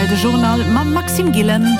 Aktuell de Journal mam Maxime Gillen.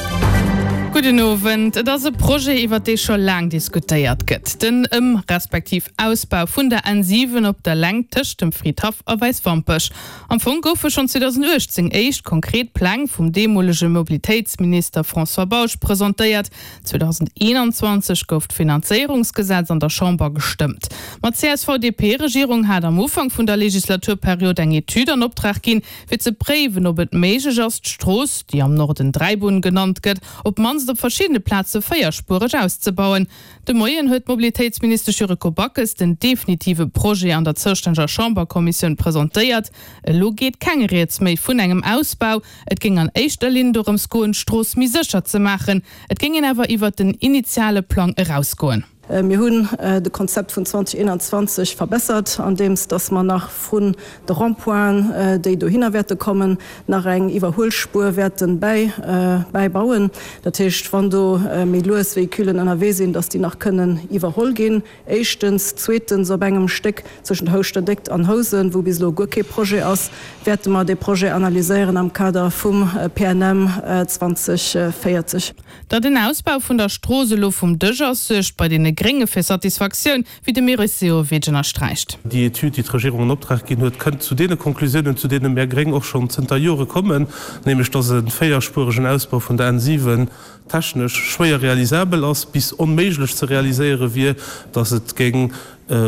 Gudden Owend. Et ass e Projet, iwwer dee scho laang diskutéiert gëtt, den Ëm respektiv Ausbau vun der N7 op der Längt tëscht dem Fridhaff a Wäiswampech. Am Fong goufe schonn 2018 éischt konkret Pläng vum deemolege Mobilitéitsminister François Bausch presentéiert. 2021 gouf d'Finanzéierungsgesetz an der Chamber gestëmmt. Ma d'CSV-DP-Regierung hat am Ufank vun der Legislaturperiod eng Etüd an Optrag ginn, fir ze préiwen, ob et méiglech ass, d'Strooss, déi am Norden Dräibunn genannt gëtt, op d'mannst op verschiddene Plaze véierspuereg auszebauen. De Moien huet d'Mobilitéitsministesch Yuriko Backes den definitive Projet an der zoustänneger Chamberkommissioun presentéiert. Elo geet keng Rieds méi vun engem Ausbau. Et géing an éischter Linn dorëms goen, d'Strooss méi sécher ze maachen. Et géing een awer iwwert den initiale Plang erausgoen. Mir hunn de Konzept vun 2021 verbessert, andeems dass mer nach vrun de Rond-pointen, déi dohinner wäerte kommen, nach eng Iwwerhuelspuer wäerte bäibauen. Dat heescht, wann do méi lues Véhiculen ënnerwee sinn, dass déi nach kënnen iwwerholl ginn, éischtens. Zweetens, op engem Stéck zwëschent Houschter-Déckt an Housen, wou bis elo guer kee Projet ass, wäerte mer dee Projet analyséieren am Kader vum PNM 2040. Datt en Ausbau vun der Strooss elo vum Dësch ass, suergt bei deene Grénge fir Satisfaktioun, wéi de Meris Sehovic ënnersträicht. Déi Etüd, déi d'Regierung an Optrag ginn huet, kënnt zu deene Konklusiounen, zu deene mär Gréng och schonn zënter Jore kommen, nämlech datt e véierspueregen Ausbau vun der N 7 technesch schwéier realisabel ass, bis onméiglech ze realiséiere wier, datt et géing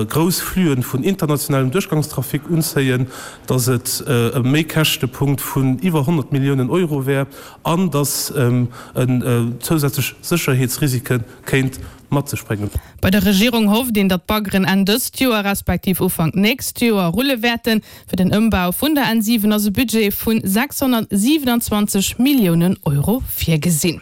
grouss Fluen vun internationalem Duerchgangstrafic unzéien, datt et e Méikäschtepunkt vun iwwer 100 Milliounen Euro wär an datt en zousätzlech Sécherheetsrisike kéint mat sech bréngen. Bei der Regierung hofft een, datt d'Baggeren Enn dëst Joer respektiv Ufank nächst Joer rulle wäerten. Fir den Ëmbau vun der N 7 ass e Budget vu 627 Milliounen Euro virgesinn.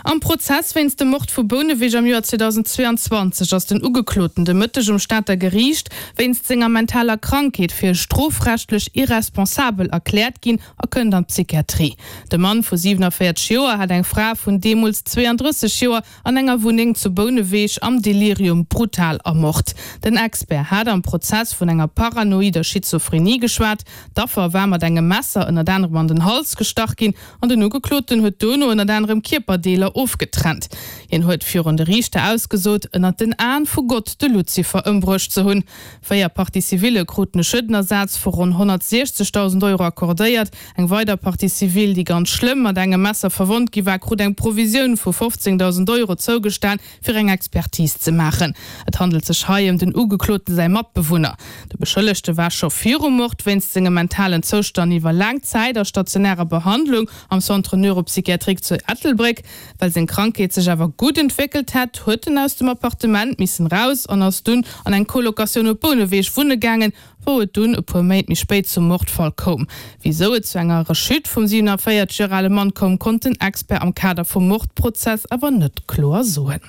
Am Prozess wéinst dem Mord vu Bouneweg am Joer 2022 ass den Ugekloten de Mëtteg um Stater Geriicht wéinst senger mentaler Krankheet fir strofrechtlech irresponsabel erkläert ginn a kënnt an d'Psychiatrie. De Mann vu 47 Joer hat eng Fra vun deemools 32 Joer an enger Wunneng zu Bouneweg am Delirium brutal ermort. Den Expert hat am Prozess vun enger paranoider Schizophrenie geschwat. D'Affer war mat engem Messer ënnert anerem an den Hals gestach ginn an den Ugekloten huet dono ënnert anerem Kierperdeeler ofgetrennt. Hien huet virun de Riichter ausgesot, ënnert den Aen vu Gott de Luzifer ëmbruecht ze hunn. Véier Partie-civillë kruten e Schuedenersaz vu ronn 160.000 Euro accordéiert. Eng weider Partie civile, déi ganz schlëmm mat engem Messer verwonnt gi war, krut eng Provisioun vu 15.000 Euro zougestan, fir eng Expertise ze maachen. Et handelt sech hei ëm den Ugekloten säi Matbewunner. De Beschëllegte war scho virum Mord wéinst sengem mentalen Zoustand iwwer laang Zäit a stationärer Behandlung am Centre neuropsychiatrique zu Ettelbréck. Well seng Krankheet sech awer gutt entwéckelt hätt, huet en aus dem Appartement missen raus an ass dunn an eng Colocatioun op Bouneweg wunne gaangen, wou et dunn e puer Méint méi spéit zum Mordfall koum. Wisou et zu enger Rechute vum 47 Joer ale Mann koum, konnt den Expert am Kader vum Mordprozess awer net kloer soen.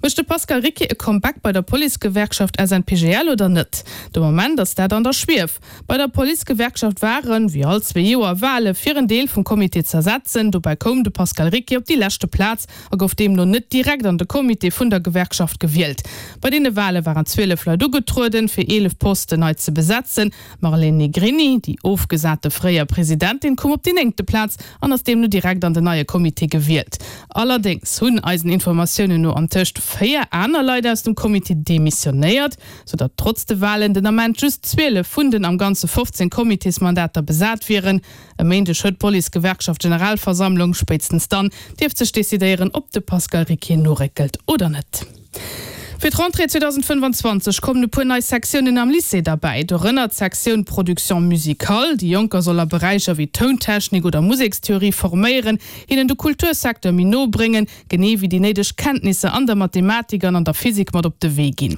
Mécht de Pascal Ricquier e Comeback bei der Policegewerkschaft SNPGL oder net? De Moment ass dat an der Schwief. Bei der Policegewerkschaft waren, wéi all zwee Joer, Wale fir en Deel vum Comité z'ersetzen. Dobäi koum de Pascal Ricquier op déi leschte Plaz a gouf deemno net direkt an de Comité vun der Gewerkschaft gewielt. Bei deene Wale waren 12 Leit ugetrueden, fir 11 Posten nei ze besetzen. D'Marlène Negrini, déi ofgesate fréier Presidentin, koum op déi néngte Plaz an ass deemno direkt an den neie Comité gewielt. Allerdéngs hunn eisen Informatiounen no antëscht 4 aner Leit aus dem Comité demissionéiert, soudatt trotz de Walen den Ament just 12 vun den am Ganze 15 Comitésmandater besat wieren. E Méindeg huet d'Policegewerkschaft Generalversammlung. Spéitstens dann dierft sech decidéieren, ob de Pascal Ricquier noréckelt oder net. Fir d'Rentrée 2025 kommen e puer nei Sektiounen am Lycée derbäi, dorënner d'Sektioun Production musicale. Déi Jonker soll a Beräicher wéi Tountechnik oder Musekstheorie forméieren, hinnen de Kultursecteur méi no bréngen, genee wéi déi néideg Kenntnisser an der Mathematik an an der Physik mat op de Wee ginn.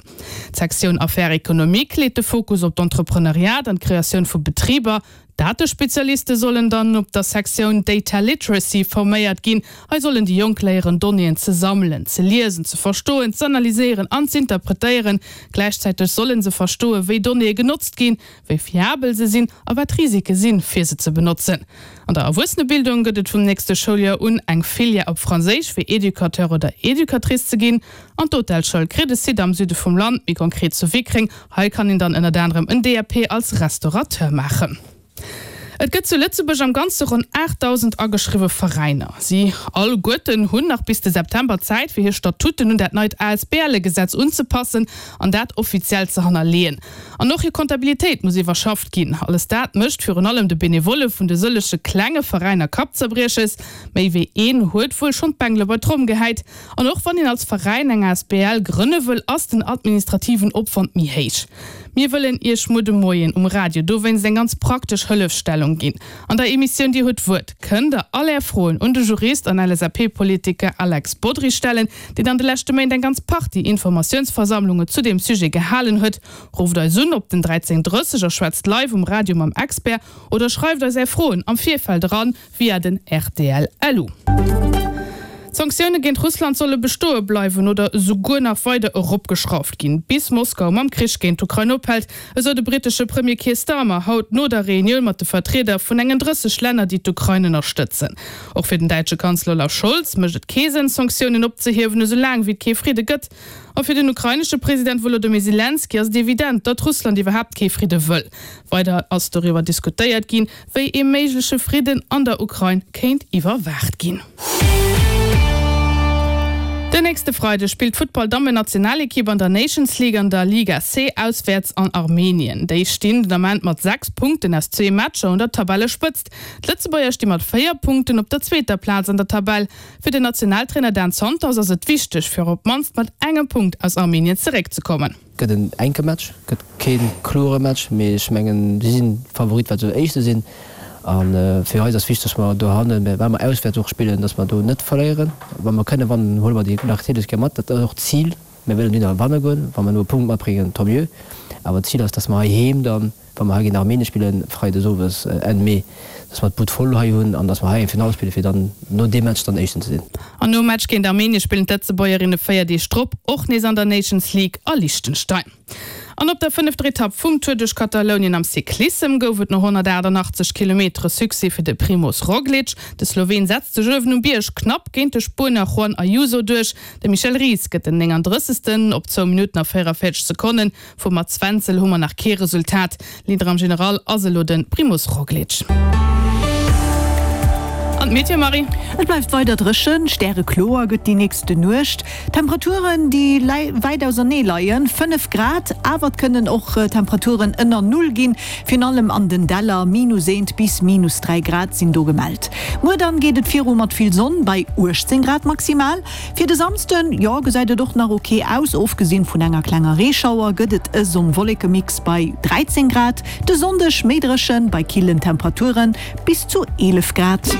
D'Sektioun Affaires économiques leet de Fokus op d'Entrepreneuriat an d'Kreatioun vu Betriber. Datespezialiste sollen dann op der Sektioun Data Literacy forméiert ginn. Hei sollen déi Jonk léieren, Donnéeën ze sammelen, ze liesen, ze verstoen, z'analyséieren an z'interpretéieren. Gläichzäiteg solle se verstoen, wéi Donnéeë genotzt ginn, wéi fiabel se sinn a wat d'Risike sinn, fir se ze benotzen. An der Erwuessenebildung gëtt et vum nächste Schouljoer un eng Filière op Franséisch fir Educateur oder Educatrice ze ginn. An d'Hotelschoul kritt e Site am Süde vum Land, méi konkret zu Wickreng. Hei kann een dann ënnert anerem en DAP als Restaurateur maachen. Et gëtt zu Lëtzebuerg am Ganze ronn 8.000 ageschriwwe Veräiner. Si alleguerten hunn nach bis de September Zäit, fir hir Statuten un dat neit ASBLe-Gesetz unzepassen an dat offiziell ze hannerleeën. An och hir Comptabilitéit muss iwwerschafft ginn. Alles dat mécht virun allem de Benevolle vun de sëllege klenge Veräiner Kappzerbrieches. Méi wéi een huet wuel schonn d'Bengele bei d'Tromm gehäit. An och wann een als Veräin eng asbl grënne wëll, ass den administrativen Opwand méi héich. Mir wëllen Iech muer de Moien um Radio dowéinst eng ganz praktesch Hëllefstellung ginn. An der Emissioun Dir hutt d'Wuert kënnt der all Är Froen un de Jurist an LSAP-Politiker Alex Bodry stellen, deen an de leschte Méint eng ganz Partie Informatiounsversammlunge zu deem Sujet gehalen huet. Rufft eis un op den 13 30 a schwätzt live um Radio mam Expert oder schreift eis Är Froen am Virfeld eran via den rtl LU. D'Sanktioune géint Russland solle bestoe bleiwen oder esouguer nach weider eropgeschrauft ginn, bis Moskau mam Krich géint d'Ukrain ophält, esou de brittesche Premier Keir Starmer haut no der Reunioun mat de Vertrieder vun engen 30 Länner, déi d'Ukrain ënnerstëtzen. Och fir den däitsche Kanzler Olaf Scholz mécht et kee Sënn, Sanktiounen opzehiewen, esou laang wéi et kee Fridde gëtt. A fir den ukrainesche President Wolodymyr Selenskyj ass et evident, datt Russland iwwerhaapt kee Fridde wëll. Weider ass doriwwer diskutéiert ginn, wéi ee méigleche Fridden an der Ukrain kéint iwwerwaacht ginn. Den nächste Freideg spillt d'Futtball-Dammen-Nationalekipp an der Nations League an der Liga C auswäerts an Armenien. Déi stinn den Ament mat 6 Punkten aus zwee Matcher un der Tabellespëtzt. D'Lëtzebuerger sti mat 4 Punkten op der zweeter Plaz an der Tabell. Fir den Nationaltrainer Dan Santos ass et wichteg, fir op d'mannst mat engem Punkt aus Armenien zeréckzekommen. Gëtt en enke Match, gëtt kee klore Match, mee ech mengen si sinn Favorit well se Éischte sinn. A fir eis ass wichteg, datt mer dohannen, well mer auswäerts och spillen, datt mer do net verléieren. Wa mer kënne wannen, huele mer déi natierlech gär mat. Dat ass och d'Zil. Mir wëllen dunner wanne goen. Wa mer elo e Punkt matbréngen, tant mieux. Awer d'Zil ass, datt mer heiheem dann, wa mer hei géint Armenien spillen, Freides owes Enn Mee, dass mer d'Bud voll hei hunn an dass mer hei eng Finall spillen, fir dann no deem Match dann Éischten ze sinn. An nom Match géint Armenien spillen d'Lëtzebuergerinne 4 Deeg drop och nees an der Nations League a Liechtenstein. An op der fënnefter Etapp vum Tour duerch Katalounien am Cyclissem gouf et no 188 Kilometere Succès fir de Primoz Roglic. De Sloween setzt sech uewen um Bierg knapp géint de Spuenier Juan Ayuso duerch. De Michel Ries gëtt den 39. op zwou Minutten a 44 Sekonnen. Vum Mats Wenzel hu mer nach kee Resultat. Leader am General ass elo de Primoz Roglic. An d'Meteo, Marie? Et bleift weider dréchen, stärekloer gëtt déi nächste Nuecht. Temperaturen, déi wäit ausernee leien, 5 Grad, awer et kënnen och Temperaturen ënner Null ginn, virun allem an den Däller, minus eent bis minus 3 Grad sinn do gemellt. Muer dann geet et viru mat vill Sonn bei 18 Grad maximal. Fir de Samsden, jo, gesäit et och nach ok aus, ofgesinn vun enger klenger Reeschauer gëtt et e Sonn-Wolleke-Mix bei 13 Grad, de Sonndeg méi dréchen bei killen Temperaturen bis zu 11 Grad.